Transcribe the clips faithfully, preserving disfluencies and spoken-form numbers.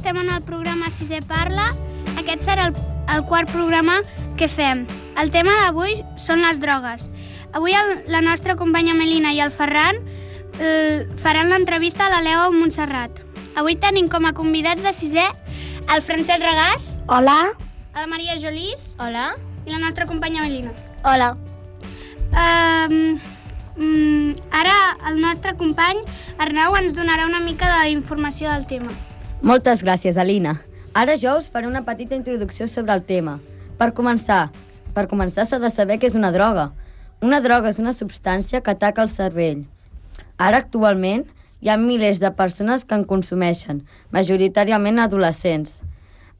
estem en el programa Sisè Parla. Aquest serà el, el quart programa que fem. El tema d'avui són les drogues. Avui el, la nostra companya Melina i el Ferran eh, faran l'entrevista a la Leo Montserrat. Avui tenim com a convidats de sisè el Francesc Regàs. Hola. La Maria Jolís. Hola. I la nostra companya Melina. Hola. Um, um, ara el nostre company Arnau ens donarà una mica d'informació del tema. Moltes gràcies, Alina. Ara jo us faré una petita introducció sobre el tema. Per començar, per començar s'ha de saber què és una droga. Una droga és una substància que ataca el cervell. Ara, actualment, hi ha milers de persones que en consumeixen, majoritàriament adolescents.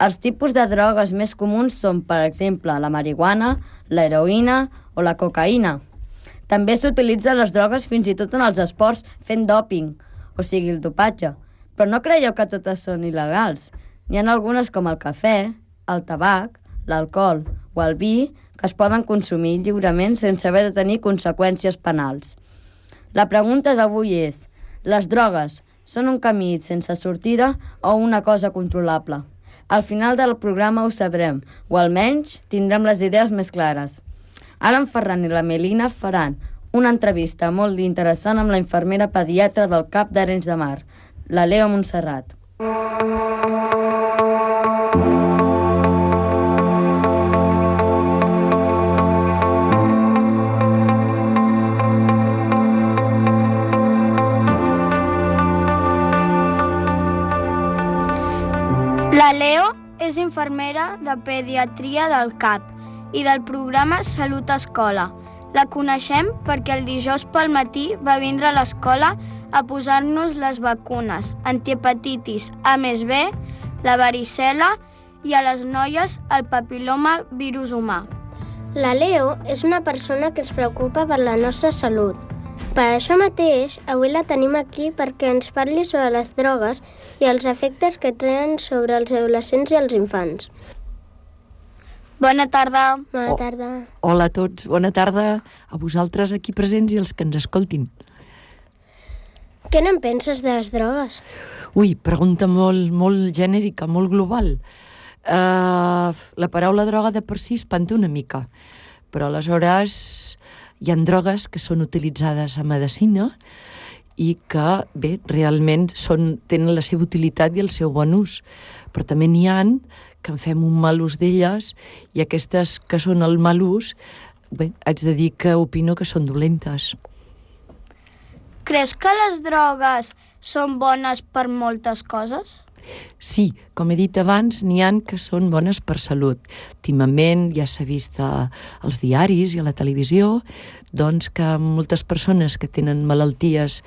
Els tipus de drogues més comuns són, per exemple, la marihuana, l'heroïna o la cocaïna. També s'utilitzen les drogues fins i tot en els esports fent dòping, o sigui, el dopatge. Però no creieu que totes són il·legals. N'hi ha algunes com el cafè, el tabac, l'alcohol o el vi que es poden consumir lliurement sense haver de tenir conseqüències penals. La pregunta d'avui és: les drogues són un camí sense sortida o una cosa controlable? Al final del programa ho sabrem, o almenys tindrem les idees més clares. Ara en Ferran i la Melina faran una entrevista molt interessant amb la infermera pediatra del C A P d'Arenys de Mar, la Leo Montserrat. La Leo és infermera de pediatria del C A P i del programa Salut Escola. La coneixem perquè el dijous pel matí va vindre a l'escola a posar-nos les vacunes antihepatitis A més B, la varicel·la i a les noies el papiloma virus humà. La Leo és una persona que es preocupa per la nostra salut. Per això mateix, avui la tenim aquí perquè ens parli sobre les drogues i els efectes que tenen sobre els adolescents i els infants. Bona tarda. Bona Oh. tarda. Hola a tots, bona tarda a vosaltres aquí presents i els que ens escoltin. Què n'en penses de les drogues? Ui, pregunta molt, molt genèrica, molt global. Uh, la paraula droga de per si espanta una mica, però aleshores hi ha drogues que són utilitzades a medicina i que, bé, realment són, tenen la seva utilitat i el seu bon ús, però també n'hi ha que en fem un mal ús d'elles i aquestes que són el mal ús, bé, haig de dir que opino que són dolentes. Creus que les drogues són bones per moltes coses? Sí, com he dit abans, n'hi ha que són bones per salut. Últimament ja s'ha vist als diaris i a la televisió doncs que moltes persones que tenen malalties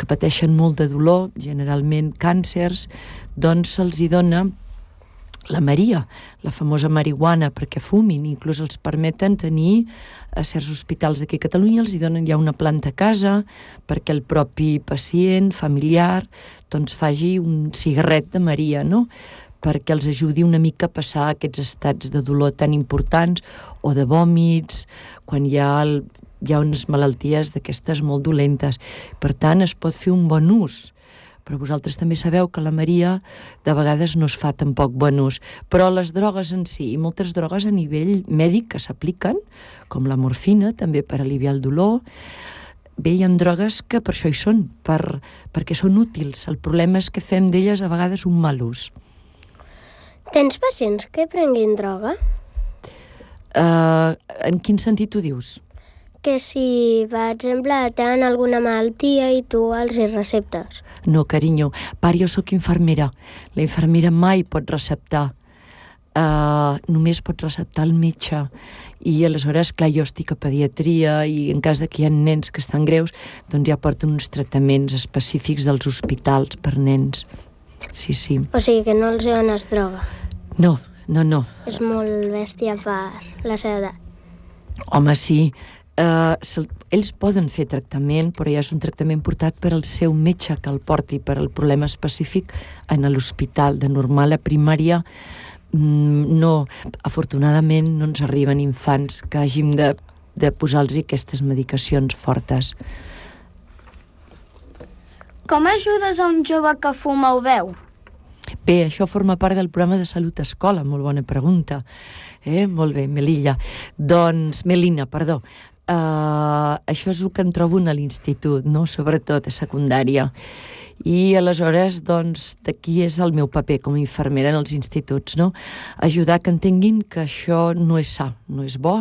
que pateixen molt de dolor, generalment càncers, doncs se'ls hi dona la Maria, la famosa marihuana, perquè fumin, inclús els permeten tenir a certs hospitals d'aquí a Catalunya, els hi donen ja una planta a casa perquè el propi pacient, familiar, doncs faci un cigarret de Maria, no?, perquè els ajudi una mica a passar aquests estats de dolor tan importants o de vòmits, quan hi ha, el, hi ha unes malalties d'aquestes molt dolentes. Per tant, es pot fer un bon ús. Però vosaltres també sabeu que la Maria de vegades no es fa tampoc bon ús. Però les drogues en si, i moltes drogues a nivell mèdic que s'apliquen, com la morfina, també per aliviar el dolor, bé, hi ha drogues que per això hi són, per, perquè són útils. El problema és que fem d'elles a vegades un mal ús. Tens pacients que prenguin droga? Uh, en quin sentit ho dius? Que si, per exemple, tenen alguna malaltia i tu els hi receptes. No, carinyo, part, jo sóc infermera. La infermera mai pot receptar. Uh, només pot receptar el metge. I aleshores, clar, jo estic a pediatria i en cas de que hi ha nens que estan greus, doncs ja porten uns tractaments específics dels hospitals per nens. Sí, sí. O sigui que no els dones droga. No, no, no. És molt bèstia per la seva edat. Home, sí. Uh, ells poden fer tractament, però ja és un tractament portat per al seu metge que el porti per al problema específic en l'hospital. De normal a primària mm, no, afortunadament no ens arriben infants que hàgim de, de posar-los aquestes medicacions fortes. Com ajudes a un jove que fuma o beu? Bé, això forma part del programa de Salut Escola, molt bona pregunta. Eh? Molt bé, Melilla. Doncs, Melina, perdó. Uh, això és el que em trobo a l'institut, no? Sobretot a secundària. I aleshores, doncs, d'aquí és el meu paper com a infermera en els instituts, no? Ajudar que entenguin que això no és sa, no és bo,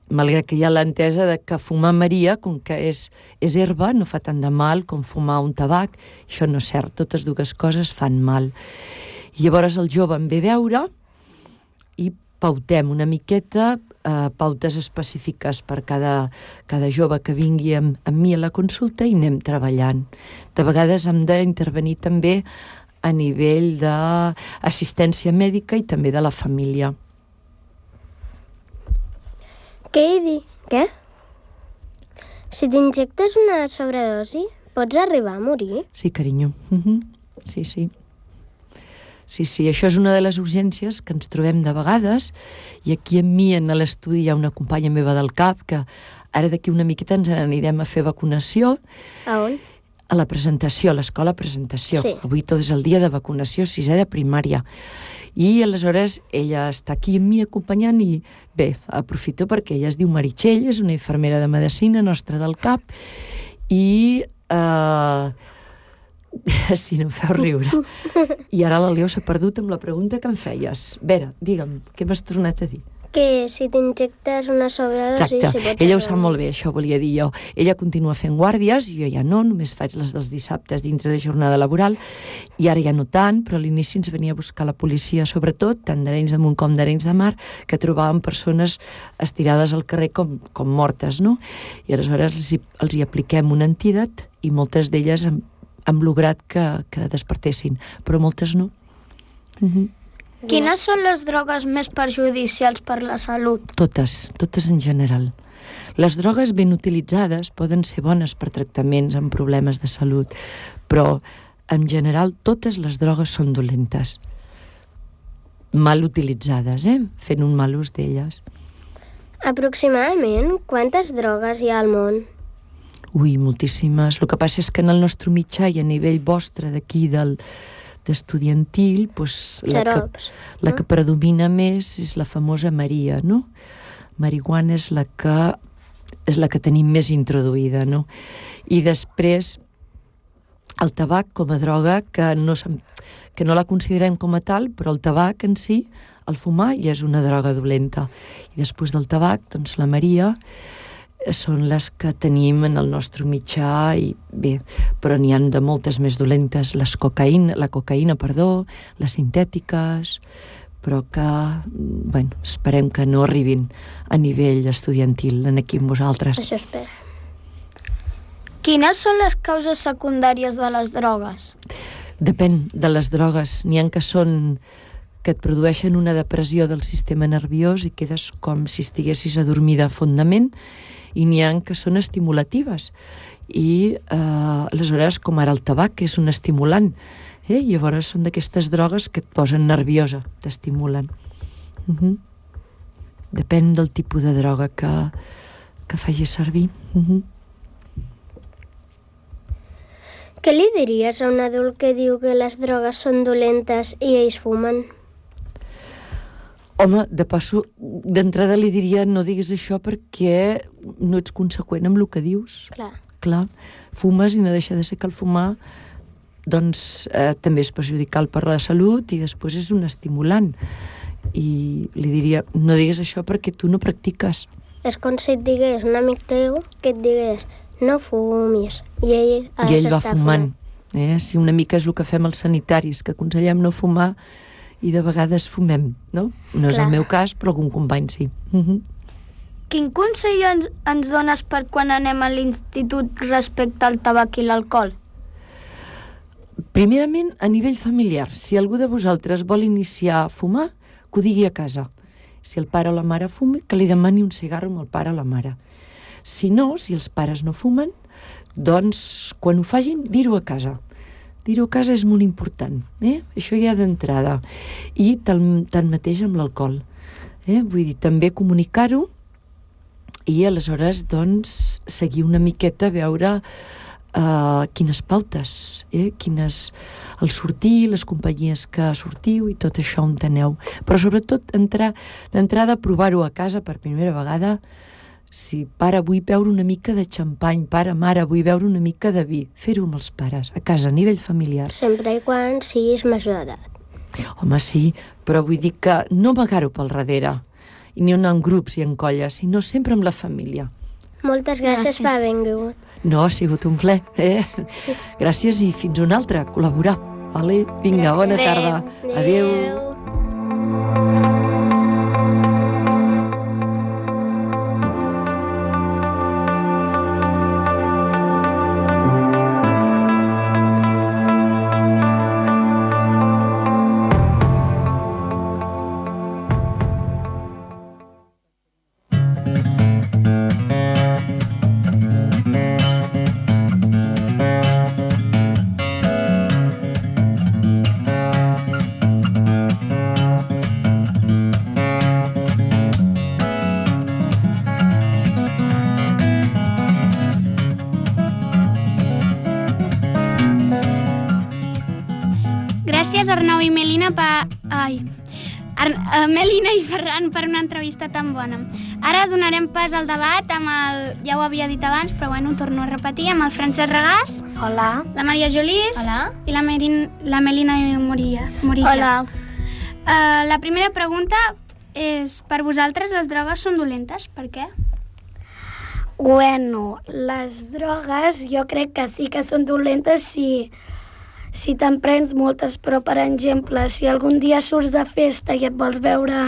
malgrat que hi ha l'entesa de que fumar Maria, com que és, és herba, no fa tant de mal com fumar un tabac. Això no és cert, totes dues coses fan mal. I llavors el jove em ve a veure i pautem una miqueta, eh, pautes específiques per cada, cada jove que vingui amb, amb mi a la consulta i anem treballant. De vegades hem d'intervenir també a nivell d'assistència mèdica i també de la família. Què hi di? Què? Si t'injectes una sobredosi, pots arribar a morir? Sí, carinyo. Uh-huh. Sí, sí. Sí, sí, això és una de les urgències que ens trobem de vegades, i aquí amb mi en l'estudi hi ha una companya meva del C A P que ara d'aquí una miqueta ens anirem a fer vacunació. A on? A la presentació, a l'escola presentació. Sí. Avui tot és el dia de vacunació, sisè de primària. I aleshores ella està aquí amb mi acompanyant i bé, aprofito perquè ella es diu Meritxell, és una infermera de medicina nostra del C A P i eh, sí, no em feu riure. I ara la Leo s'ha perdut amb la pregunta que em feies. Vera, digue'm, què m'has tornat a dir? Que si t'injectes una sobredosi... Exacte, si pots ella ho arribar sap molt bé, això volia dir jo. Ella continua fent guàrdies, jo ja no, només faig les dels dissabtes dintre de jornada laboral, i ara ja no tant, però a l'inici ens venia a buscar la policia, sobretot, tant d'Arenys de Munt com d'Arenys de Mar, que trobàvem persones estirades al carrer com, com mortes, no? I aleshores els hi, els hi apliquem un antídot i moltes d'elles hem, hem lograt que, que despertessin, però moltes no. Uh-huh. Quines són les drogues més perjudicials per la salut? Totes, totes en general. Les drogues ben utilitzades poden ser bones per tractaments amb problemes de salut, però en general totes les drogues són dolentes. Mal utilitzades, eh? Fent un mal ús d'elles. Aproximadament, quantes drogues hi ha al món? Ui, moltíssimes. El que passa és que en el nostre mitjà i a nivell vostre d'aquí del d'estudiantil, doncs la, que, la que predomina més és la famosa Maria, no? Marihuana és la que és la que tenim més introduïda, no? I després el tabac com a droga, que no, que no la considerem com a tal, però el tabac en si, el fumar, ja és una droga dolenta. I després del tabac, doncs la Maria són les que tenim en el nostre mitjà, i bé, però n'hi ha de moltes més dolentes, les cocaïna, la cocaïna, perdó, les sintètiques, però que, bueno, esperem que no arribin a nivell estudiantil en aquí amb vosaltres. Això espera. Quines són les causes secundàries de les drogues? Depèn de les drogues. N'hi ha que són que et produeixen una depressió del sistema nerviós i quedes com si estiguessis adormida fondament, i n'hi ha que són estimulatives. I eh, aleshores, com ara el tabac, que és un estimulant, eh? Llavors són d'aquestes drogues que et posen nerviosa, t'estimulen. Uh-huh. Depèn del tipus de droga que, que facis servir. Uh-huh. Què li diries a un adult que diu que les drogues són dolentes i ells fumen? Home, de passo, d'entrada li diria no diguis això perquè no ets conseqüent amb el que dius. Clar. Clar, fumes i no deixa de ser que el fumar doncs eh, també és perjudicial per la salut i després és un estimulant. I li diria, no digues això perquè tu no practiques. És com si et digués un amic teu que et digués no fumis, i ell, I ell va fumant. Eh? Si una mica és el que fem els sanitaris, que aconsellem no fumar i de vegades fumem, no? No és Clar. el meu cas, però algun company sí. Uh-huh. Quin consell ens, ens dones per quan anem a l'institut respecte al tabac i l'alcohol? Primerament, a nivell familiar, si algú de vosaltres vol iniciar a fumar, que ho digui a casa. Si el pare o la mare fuma, que li demani un cigarro amb el pare o la mare. Si no, si els pares no fumen, doncs, quan ho facin, dir-ho a casa. Dir-ho a casa és molt important, eh? Això ja d'entrada. I tan, tan mateix amb l'alcohol. Eh? Vull dir, també comunicar-ho i aleshores, doncs, seguir una miqueta a veure uh, quines pautes, eh? quines, el sortir, les companyies que sortiu i tot això on aneu. Però sobretot entrar, d'entrada provar-ho a casa per primera vegada. Si pare, vull beure una mica de xampany, pare, mare, vull beure una mica de vi. Fer-ho amb els pares, a casa, a nivell familiar. Sempre i quan siguis major d'edat. Home, sí, però vull dir que no amagar-ho pel darrere, i ni en grups i en colles, sinó sempre amb la família. Moltes gràcies, gràcies. per haver vingut. No, ha sigut un plaer. Eh? Gràcies i fins una altra, col·laborar. Vale? Vinga, gràcies. Bona tarda. Adéu. Adéu. Gràcies, Arnau i Melina, per... Ai... Ar... Uh, Melina i Ferran, per una entrevista tan bona. Ara donarem pas al debat amb el... Ja ho havia dit abans, però bueno, ho torno a repetir, amb el Francesc Regàs. Hola. La Maria Jolís. Hola. I la, Merin... la Melina Moria. Morilla. Hola. Uh, la primera pregunta és, per vosaltres les drogues són dolentes? Per què? Bueno, les drogues jo crec que sí que són dolentes si... si te'n prens moltes, però per exemple, si algun dia surts de festa i et vols veure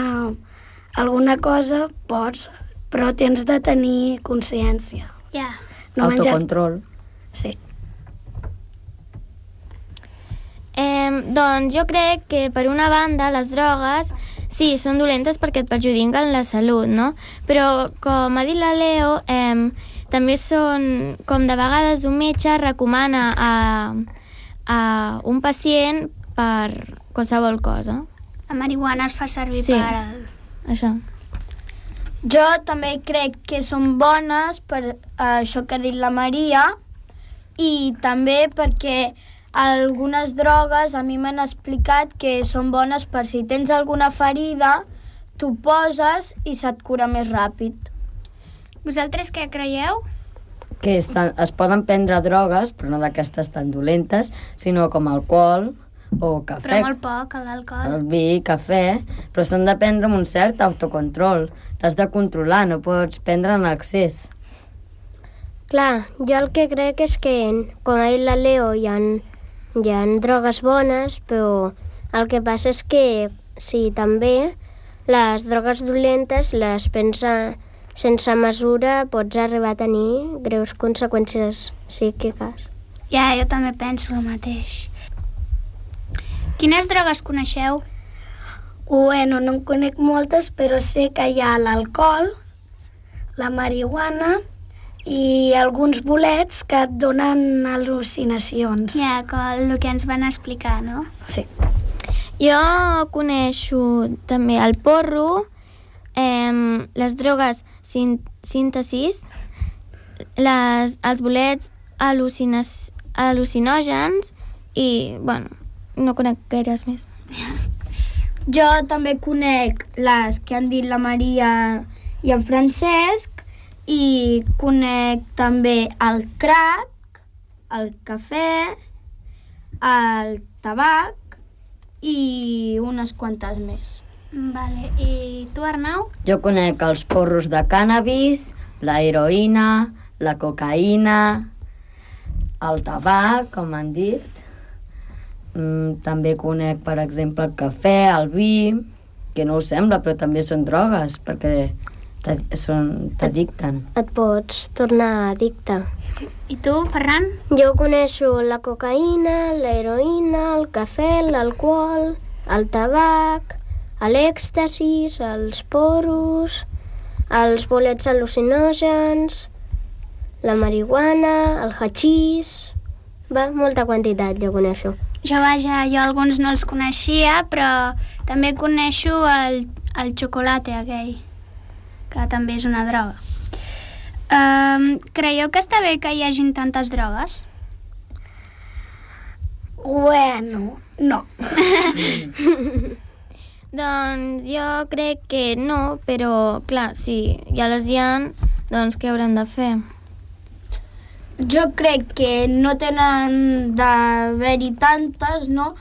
alguna cosa, pots, però tens de tenir consciència. Ja. No autocontrol. Menjar... Sí. Eh, doncs jo crec que per una banda les drogues sí, són dolentes perquè et perjudiquen la salut, no? Però com ha dit la Leo, eh, també són, com de vegades un metge recomana a... a un pacient per qualsevol cosa. La marihuana es fa servir sí, per... El... això. Jo també crec que són bones per uh, això que ha dit la Maria i també perquè algunes drogues a mi m'han explicat que són bones per si tens alguna ferida, t'ho poses i se't cura més ràpid. Vosaltres què creieu? Que es, es poden prendre drogues, però no d'aquestes tan dolentes, sinó com alcohol o cafè. Però molt poc, l'alcohol. El vi, cafè, però s'han de prendre amb un cert autocontrol. T'has de controlar, no pots prendre en excés. Clar, jo el que crec és que, com ha dit la Leo, hi ha, hi ha drogues bones, però el que passa és que sí, també les drogues dolentes les pensa... sense mesura pots arribar a tenir greus conseqüències psíquiques. Ja, jo també penso el mateix. Quines drogues coneixeu? Bueno, no en conec moltes, però sé que hi ha l'alcohol, la marihuana i alguns bolets que et donen al·lucinacions. Ja, el que ens van explicar, no? Sí. Jo coneixo també el porro, eh, les drogues síntesis, les, els bolets al·lucinògens i, bueno, no conec gaires més. Jo també conec les que han dit la Maria i el Francesc i conec també el crack, el cafè, el tabac i unes quantes més. Vale. I tu, Arnau? Jo conec els porros de cànnabis, la heroïna, la cocaïna, el tabac, com han dit. Mm, també conec, per exemple, el cafè, el vi, que no ho sembla, però també són drogues, perquè t'addicten. Et pots tornar addicte. I tu, Ferran? Jo coneixo la cocaïna, la heroïna, el cafè, l'alcohol, el tabac, l'èxtasis, els porros, els bolets al·lucinògens, la marihuana, el hachís... Va, molta quantitat, jo coneixo. Jo, vaja, jo alguns no els coneixia, però també coneixo el, el xocolate aquell, que també és una droga. Um, creieu que està bé que hi hagin tantes drogues? Bueno, no. Doncs jo crec que no, però clar, si ja les hi ha, doncs què haurem de fer? Jo crec que no tenen d'haver-hi tantes, no?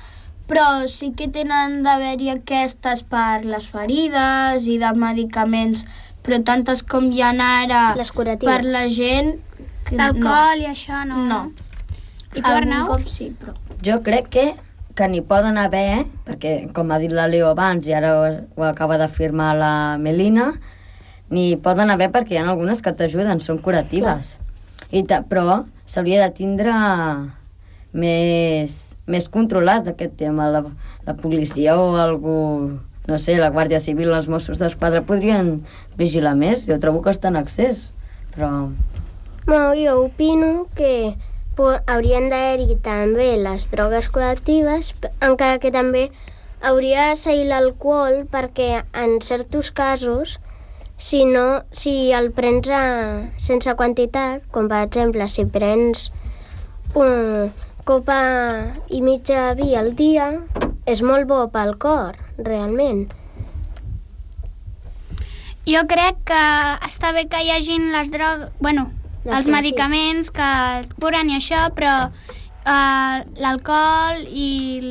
Però sí que tenen d'haver-hi aquestes per les ferides i de medicaments, però tantes com hi ha ara Les curatives. per la gent... que D'alcohol i això, no? No. I tu, Arnau? Algun cop sí, però... Jo crec que, que n'hi poden haver, perquè com ha dit la Leo abans i ara ho, ho acaba d'afirmar la Melina, n'hi poden haver perquè hi ha algunes que t'ajuden, són curatives. I ta, però s'hauria de tindre més, més controlat aquest tema. La, la policia o algú, no sé, la Guàrdia Civil, els Mossos d'Esquadra podrien vigilar més. Jo trobo que està en accés, però... No, jo opino que haurien d'haver-hi també les drogues curatives, encara que també hauria de seguir l'alcohol perquè en certs casos, si, no, si el prens a, sense quantitat, com per exemple si prens una copa i mitja vi al dia, és molt bo pel cor, realment. Jo crec que està bé que hi hagin les drogues... Bueno, Les els curatives. medicaments que et curen i això, però eh, l'alcohol i el,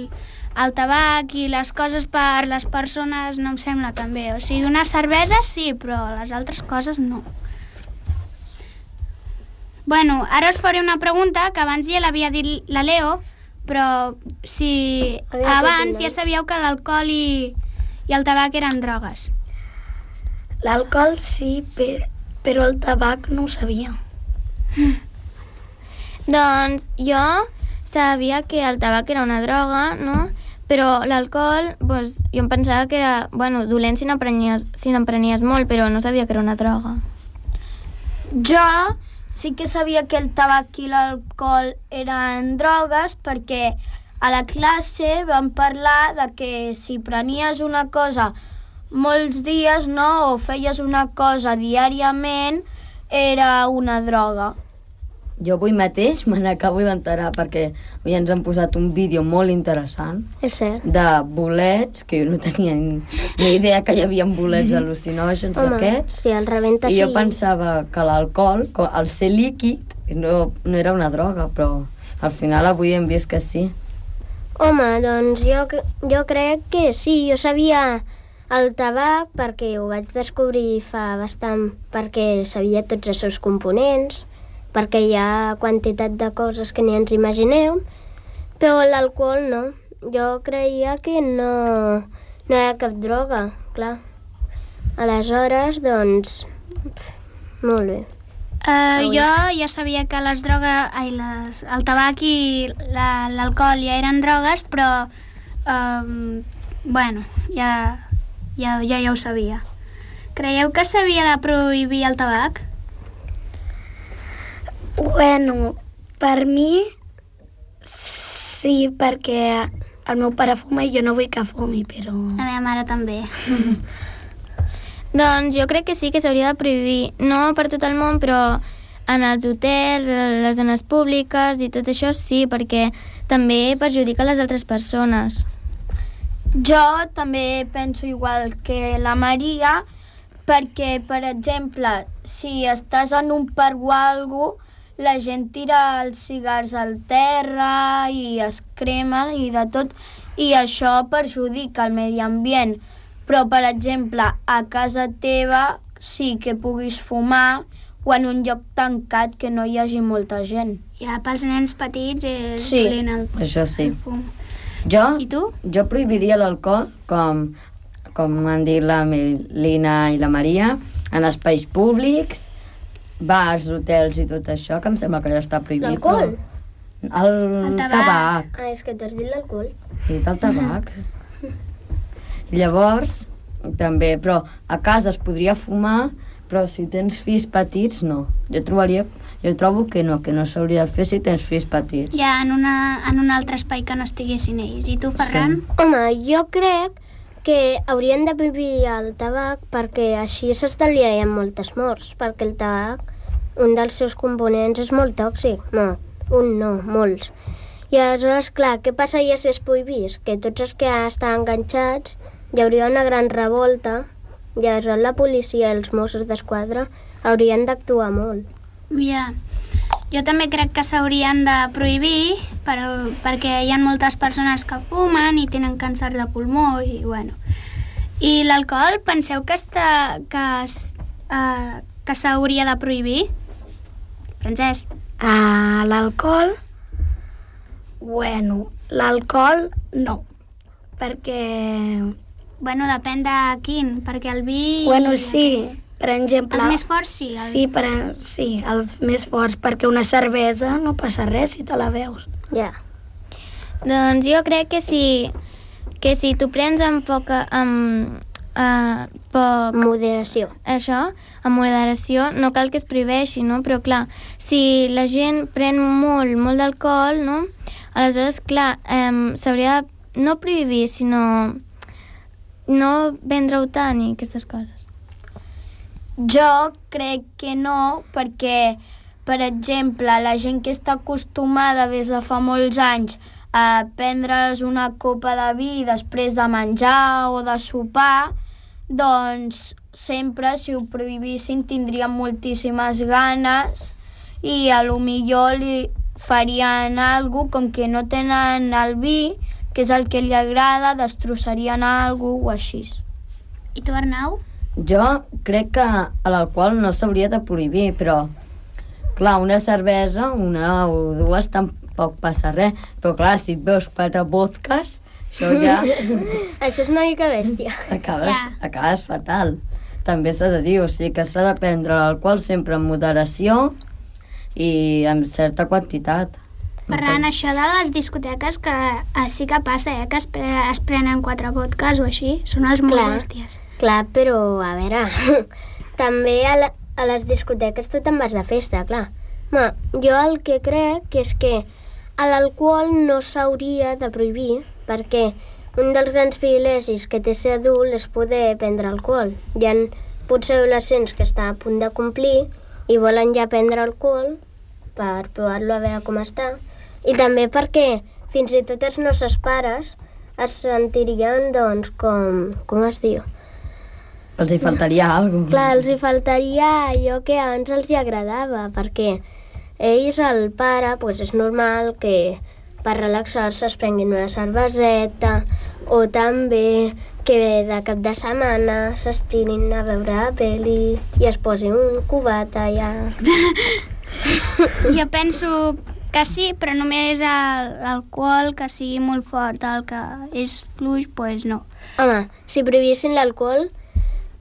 el tabac i les coses per les persones no em sembla tan bé. O sigui, una cervesa sí, però les altres coses no. Bueno, ara us faré una pregunta que abans ja l'havia dit la Leo, però si Havia abans dit, ja sabíeu que l'alcohol i, i el tabac eren drogues. L'alcohol sí, per, però el tabac no ho sabia. Doncs jo sabia que el tabac era una droga, no? Però l'alcohol, doncs, jo em pensava que era, bueno, dolent si n'emprenies si n'emprenies molt, però no sabia que era una droga. Jo sí que sabia que el tabac i l'alcohol eren drogues perquè a la classe vam parlar de que si prenies una cosa molts dies, no, o feies una cosa diàriament, era una droga. Jo avui mateix me n'acabo d'enterar perquè avui ens han posat un vídeo molt interessant És cert. de bolets, que jo no tenia ni, ni idea que hi havia bolets al·lucinògens d'aquests. si el rebenta I sí. jo pensava que l'alcohol, co- al ser líquid, no, no era una droga, però al final avui hem vist que sí. Home, doncs jo, cre- jo crec que sí, jo sabia el tabac perquè ho vaig descobrir fa bastant, perquè sabia tots els seus components, perquè hi ha quantitat de coses que ni ens imagineu, però l'alcohol no. Jo creia que no, no hi ha cap droga, clar. Aleshores, doncs, molt bé. Uh, jo ja sabia que les drogues, ai, les, el tabac i la- l'alcohol ja eren drogues, però um, bueno, ja, ja, ja, ja ho sabia. Creieu que s'havia de prohibir el tabac? Bueno, per mi sí, perquè el meu pare fuma i jo no vull que fumi, però... La meva mare també. Doncs jo crec que sí que s'hauria de prohibir, no per tot el món, però en els hotels, a les zones públiques i tot això sí, perquè també perjudica les altres persones. Jo també penso igual que la Maria, perquè, per exemple, si estàs en un parc o alguna cosa, la gent tira els cigars al terra i es cremen i de tot, i això perjudica el medi ambient. Però, per exemple, a casa teva sí que puguis fumar o en un lloc tancat que no hi hagi molta gent. Ja pels nens petits és Sí. dolent el, Això sí. el fum. Jo, I tu? jo prohibiria l'alcohol, com, com han dit la Melina i la Maria, en espais públics, bars, hotels i tot això, que em sembla que ja està prohibit. L'alcohol? El, El tabac. tabac. Ah, és que t'has dit l'alcohol. He dit el tabac. Llavors, també, però a casa es podria fumar, però si tens fills petits, no. Jo trobaria, jo trobo que no, que no s'hauria de fer si tens fills petits. Ja en, una, en un altre espai que no estiguessin ells. I tu, Ferran? Sí. Home, jo crec que haurien de prohibir el tabac perquè així s'estalviarien moltes morts, perquè el tabac, un dels seus components és molt tòxic. No, un no, molts. I aleshores, clar, què passaria si es prohibís? Que tots els que estan enganxats hi hauria una gran revolta i aleshores la policia i els Mossos d'Esquadra haurien d'actuar molt. Ja. Jo també crec que s'haurien de prohibir per, perquè hi ha moltes persones que fumen i tenen càncer de pulmó i bueno. I l'alcohol, penseu que està, que, uh, que s'hauria de prohibir? Francesc? Uh, l'alcohol? Bueno, l'alcohol no, perquè... Bueno, depèn de quin, perquè el vi... Bueno, sí, per exemple... Els més forts sí. El... Sí, per, sí, els més forts, perquè una cervesa no passa res si te la veus. Ja. Doncs jo crec que si, que si tu prens amb poca... amb, uh, poc... Moderació. Això, amb moderació, no cal que es prohibeixi, no? Però clar, si la gent pren molt, molt d'alcohol, no? Aleshores, clar, um, s'hauria de no prohibir, sinó no vendre-ho tant i aquestes coses. Jo crec que no, perquè, per exemple, la gent que està acostumada des de fa molts anys a prendre's una copa de vi després de menjar o de sopar, doncs sempre, si ho prohibissin, tindrien moltíssimes ganes i a lo millor li farien alguna cosa, com que no tenen el vi, que és el que li agrada, destrossarien alguna cosa o així. I tu, Arnau? Jo crec que l'alcohol no s'hauria de prohibir, però, clar, una cervesa, una o dues, tampoc passa res. Però, clar, si et veus quatre vodkas, això ja... Això és una mica bèstia. Acabes, Ja. acabes fatal. També s'ha de dir, o sigui, que s'ha de prendre l'alcohol sempre amb moderació i amb certa quantitat. Ferran, això de les discoteques que eh, sí que passa, eh, que es, pre es prenen quatre vodkas o així, són els molt Clar. bèsties. Clar, però, a veure, també a, la, a les discoteques tu te'n vas de festa, clar. Ma, jo el que crec és que l'alcohol no s'hauria de prohibir, perquè un dels grans privilegis que té ser adult és poder prendre alcohol. Hi ha potser adolescents que estan a punt de complir i volen ja prendre alcohol per provar-lo a veure com està. I també perquè fins i tot els nostres pares es sentirien, doncs, com... com es diu? Els hi faltaria alguna cosa. Clar, els hi faltaria allò que abans els hi agradava, perquè ells, el pare, doncs és normal que per relaxar-se es prenguin una cerveseta o també que de cap de setmana s'estirin a veure la peli i es posin un cubat allà. Jo penso que sí, però només l'alcohol que sigui molt fort, el que és fluix, doncs pues no. Home, si prohibissin l'alcohol,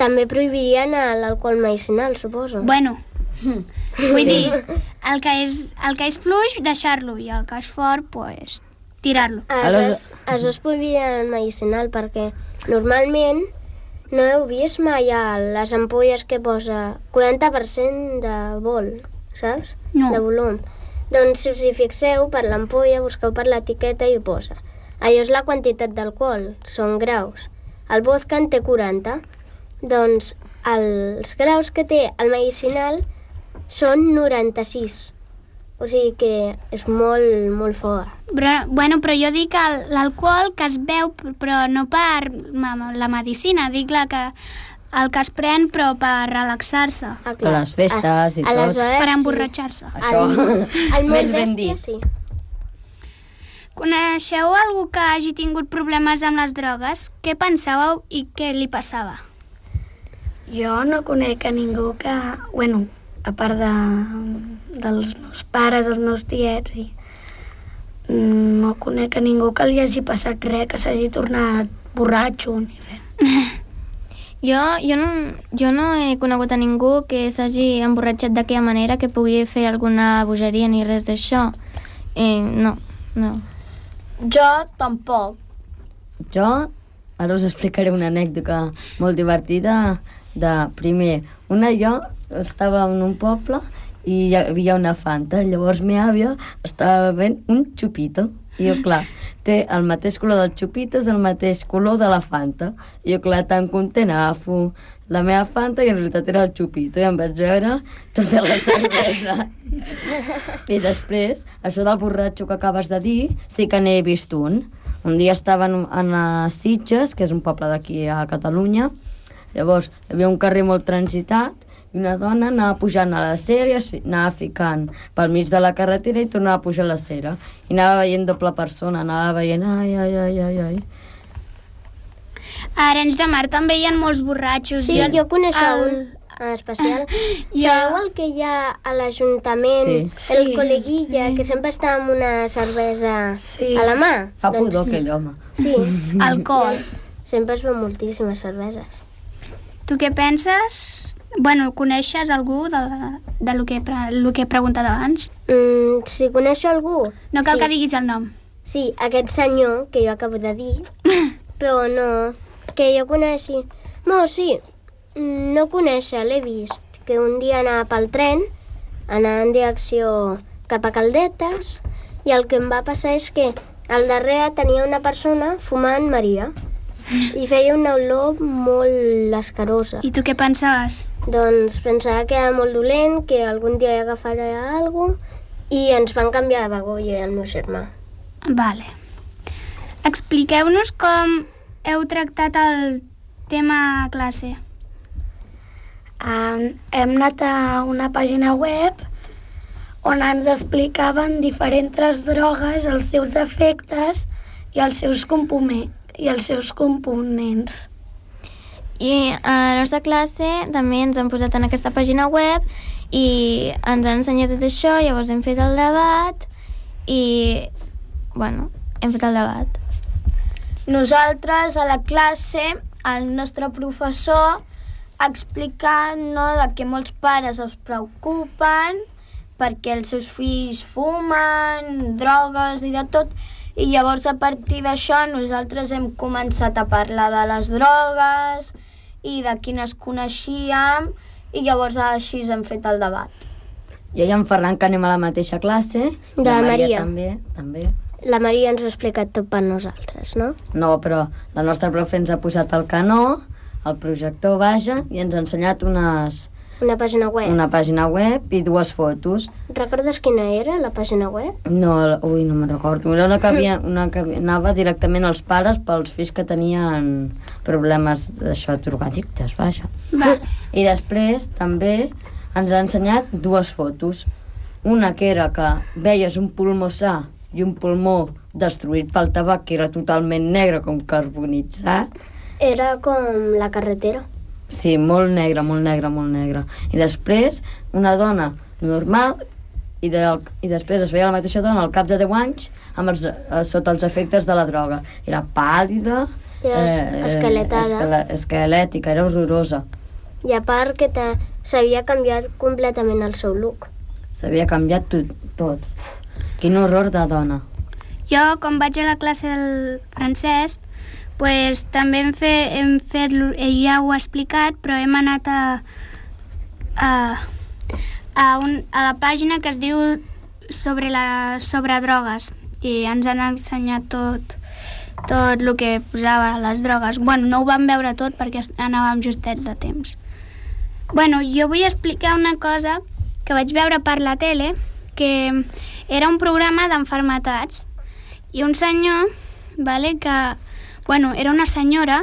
també prohibirien l'alcohol medicinal, suposo. Bueno, vull dir, el que és, el que és fluix, deixar-lo, i el que és fort, doncs pues, tirar-lo. Aleshores, aleshores prohibirien el medicinal, perquè normalment no heu vist mai a les ampolles que posa quaranta per cent de vol, saps? No. De volum. Doncs si us hi fixeu, per l'ampolla busqueu per l'etiqueta i ho posa. Allò és la quantitat d'alcohol, són graus. El vodka en té quaranta. Doncs els graus que té el medicinal són noranta-sis. O sigui que és molt, molt fort. Però, bueno, però jo dic l'alcohol que es beu, però no per la medicina, dic la que, el que es pren però per relaxar-se, Ah, A les festes i tot. Aleshores, per sí. emborratxar-se. Això, El més molt ben bèstia, dit. sí. Coneixeu algú que hagi tingut problemes amb les drogues? Què pensàveu i què li passava? Jo no conec a ningú que... Bueno, a part de, dels meus pares, els meus tiets, i no conec a ningú que li hagi passat res, que s'hagi tornat borratxo ni res. Jo, jo, no, jo no he conegut a ningú que s'hagi emborratxat d'aquella manera que pugui fer alguna bogeria ni res d'això. Eh, no, no. Jo tampoc. Jo ara us explicaré una anècdota molt divertida de primer. Una jo estava en un poble i hi havia una Fanta. Llavors mi àvia estava bevent un xupito. I jo, clar, té el mateix color del Xupitos, el mateix color de la Fanta. I jo, clar, tan content, agafo la meva Fanta i en realitat era el Xupito i em vaig veure tota la cervesa. I després, això del borratxo que acabes de dir, sí que n'he vist un. Un dia estava en, en Sitges, que és un poble d'aquí a Catalunya. Llavors, hi havia un carrer molt transitat i una dona anava pujant a la cera i es fi, anava ficant pel mig de la carretera i tornava a pujar a la cera. I anava veient doble persona, anava veient ai, ai, ai, ai, ai. A Arenys de Mar també hi ha molts borratxos. Sí, jo, jo coneixo el... un en especial. Jo- Sabeu el que hi ha a l'Ajuntament? Sí. El Sí, col·leguilla, que sempre està amb una cervesa Sí. a la mà. Fa pudor aquell home. Sí. Alcohol. Sempre es ven moltíssimes cerveses. Tu què penses? Bueno, coneixes algú de, la, de lo, que, pre- lo que he preguntat abans? Mm, si coneixo algú... No cal sí. que diguis el nom. Sí, aquest senyor que jo acabo de dir, però no, que jo coneixi... No, sí, no conèixer, l'he vist, que un dia anava pel tren, anava en direcció cap a Caldetes, i el que em va passar és que al darrere tenia una persona fumant Maria, i feia una olor molt escarosa. I tu què pensaves? Doncs pensava que era molt dolent, que algun dia hi agafaria alguna cosa, i ens van canviar de vagó i el meu germà. Vale. Expliqueu-nos com heu tractat el tema a classe. Um, hem anat a una pàgina web on ens explicaven diferents drogues, els seus efectes i els seus, components, i els seus components. I a la nostra classe també ens han posat en aquesta pàgina web i ens han ensenyat tot això, llavors hem fet el debat i, bueno, hem fet el debat. Nosaltres, a la classe, el nostre professor explicant, no, de que molts pares es preocupen perquè els seus fills fumen, drogues i de tot, i llavors a partir d'això nosaltres hem començat a parlar de les drogues i de quines coneixíem, i llavors així hem fet el debat. Jo i en Ferran, que anem a la mateixa classe. De la Maria. també, també. La Maria ens ho ha explicat tot per nosaltres, no? No, però la nostra profe ens ha posat el canó, el projector, vaja, i ens ha ensenyat unes, Una pàgina web. una pàgina web i dues fotos. Recordes quina era la pàgina web? No, ui, no me'n recordo. Era una que, havia, una que anava directament als pares pels fills que tenien problemes d'això, drogadictes, vaja. Vale. I després també ens ha ensenyat dues fotos. Una que era que veies un pulmó sa i un pulmó destruït pel tabac, que era totalment negre, com carbonitzat. Era com la carretera. Sí, molt negre, molt negre, molt negre. I després, una dona normal, i, de, i després es veia la mateixa dona al cap de deu anys amb els, eh, sota els efectes de la droga. Era pàl·lida, Era es- esqueletada. esquele, esquelètica, era horrorosa. I a part que te- s'havia canviat completament el seu look. S'havia canviat tot, tot. Quin horror de dona. Jo, quan vaig a la classe del francès, pues, també hem, fe, hem fet, ell ja ho ha explicat, però hem anat a, a, a, un, a la pàgina que es diu sobre, la, sobre drogues, i ens han ensenyat tot, tot el que posava les drogues. Bueno, no ho vam veure tot perquè anàvem justets de temps. Bueno, jo vull explicar una cosa que vaig veure per la tele, que era un programa d'enfermetats, i un senyor, vale, que, bueno, era una senyora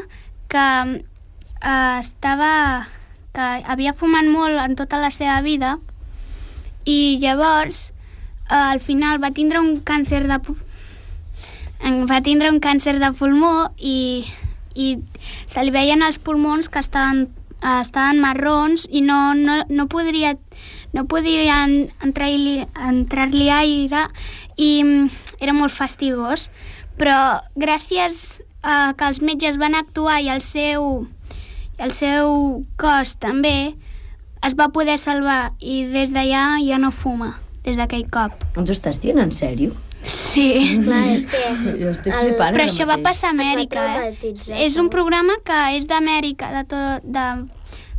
que eh, estava, que havia fumat molt en tota la seva vida, i llavors eh, al final va tindre un càncer de pu- va tindre un càncer de pulmó i, i se li veien els pulmons que estaven, eh, estaven marrons i no, no, no podria no podien entrar-li entrar-li aire i mm, era molt fastigós, però gràcies a que els metges van actuar i el seu, el seu cos també es va poder salvar i des d'allà ja no fuma, des d'aquell cop. Ens ho estàs dient en sèrio? Sí. Clar, és que... Jo estic El- flipant Però ara això va mateix. passar a Amèrica, Es va eh? traumatitzar, És un segur. programa que és d'Amèrica, de, tot, de,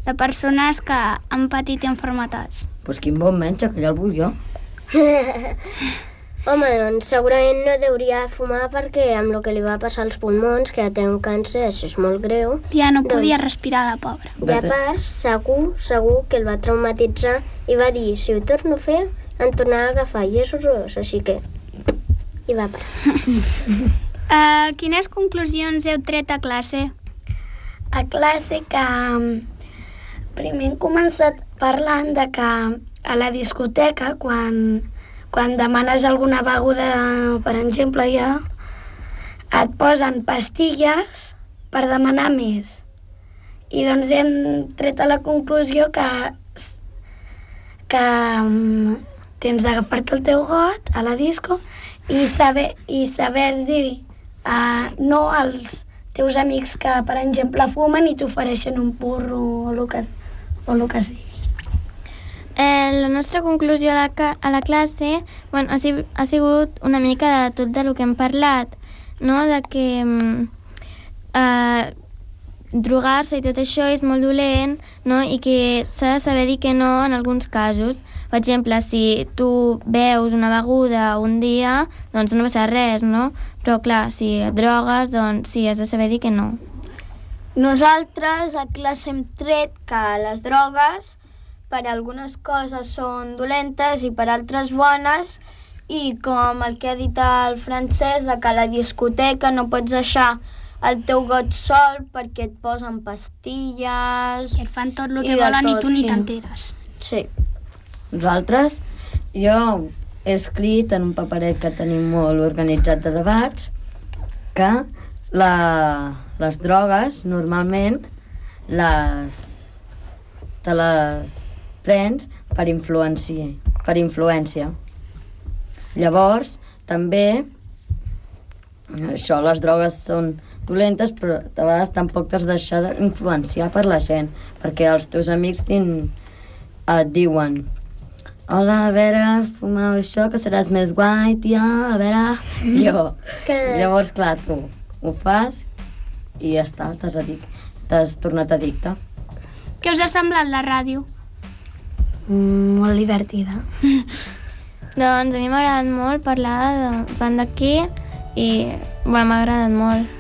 de persones que han patit enfermetats. Pues quin bon metge, que ja el vull jo. Home, doncs segurament no deuria fumar perquè amb el que li va passar als pulmons, que ja té un càncer, això és molt greu. Ja no podia respirar, la pobra. I a part, segur, segur que el va traumatitzar i va dir, si ho torno a fer, em tornarà a agafar, i és horrorós, així que hi va parar. uh, quines conclusions heu tret a classe? A classe que primer hem començat parlant de que a la discoteca, quan, quan demanes alguna beguda, per exemple, ja, et posen pastilles per demanar més. I doncs hem tret a la conclusió que, que tens d'agafar-te el teu got a la disco i saber, i saber dir uh, no als teus amics que, per exemple, fumen i t'ofereixen un porro o el que, o el que sigui. Eh, la nostra conclusió a la, a la classe bueno, ha, si, ha sigut una mica de tot del que hem parlat, no? De que eh, drogar-se i tot això és molt dolent, no? I que s'ha de saber dir que no en alguns casos. Per exemple, si tu beus una beguda un dia, doncs no passa res, no? Però clar, si et drogues, doncs sí, has de saber dir que no. Nosaltres a classe hem tret que les drogues per algunes coses són dolentes i per altres bones, i com el que ha dit el Francesc, de que a la discoteca no pots deixar el teu got sol perquè et posen pastilles... I et fan tot el que volen i tu ni t'enteres. Sí. Nosaltres, jo he escrit en un paperet que tenim molt organitzat de debats que la, les drogues normalment les, te les prens per influència, per influència. Llavors, també, això, les drogues són dolentes, però de vegades tampoc t'has de deixar d'influenciar per la gent, perquè els teus amics tin, et diuen hola, a veure, fumeu això, que seràs més guai, tia, a veure... Jo. Que... Llavors, clar, tu ho fas i ja està, t'has adic... t'has tornat addicte. Què us ha semblat la ràdio? Mm, molt divertida. Doncs a mi m'ha agradat molt parlar de banda aquí i bueno, m'ha agradat molt.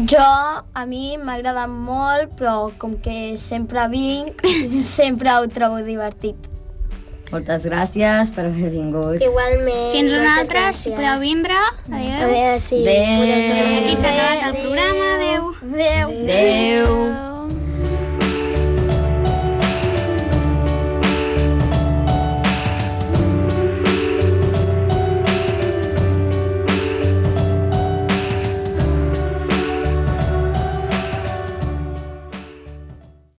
Jo, a mi m'ha agradat molt, però com que sempre vinc, sempre ho trobo divertit. Moltes gràcies per haver vingut. Igualment. Fins una moltes altra, gràcies. si podeu vindre. Adéu. A veure si Adéu. podem tornar a Aquí s'ha venir. acabat el programa. Adéu. Adéu. Adéu.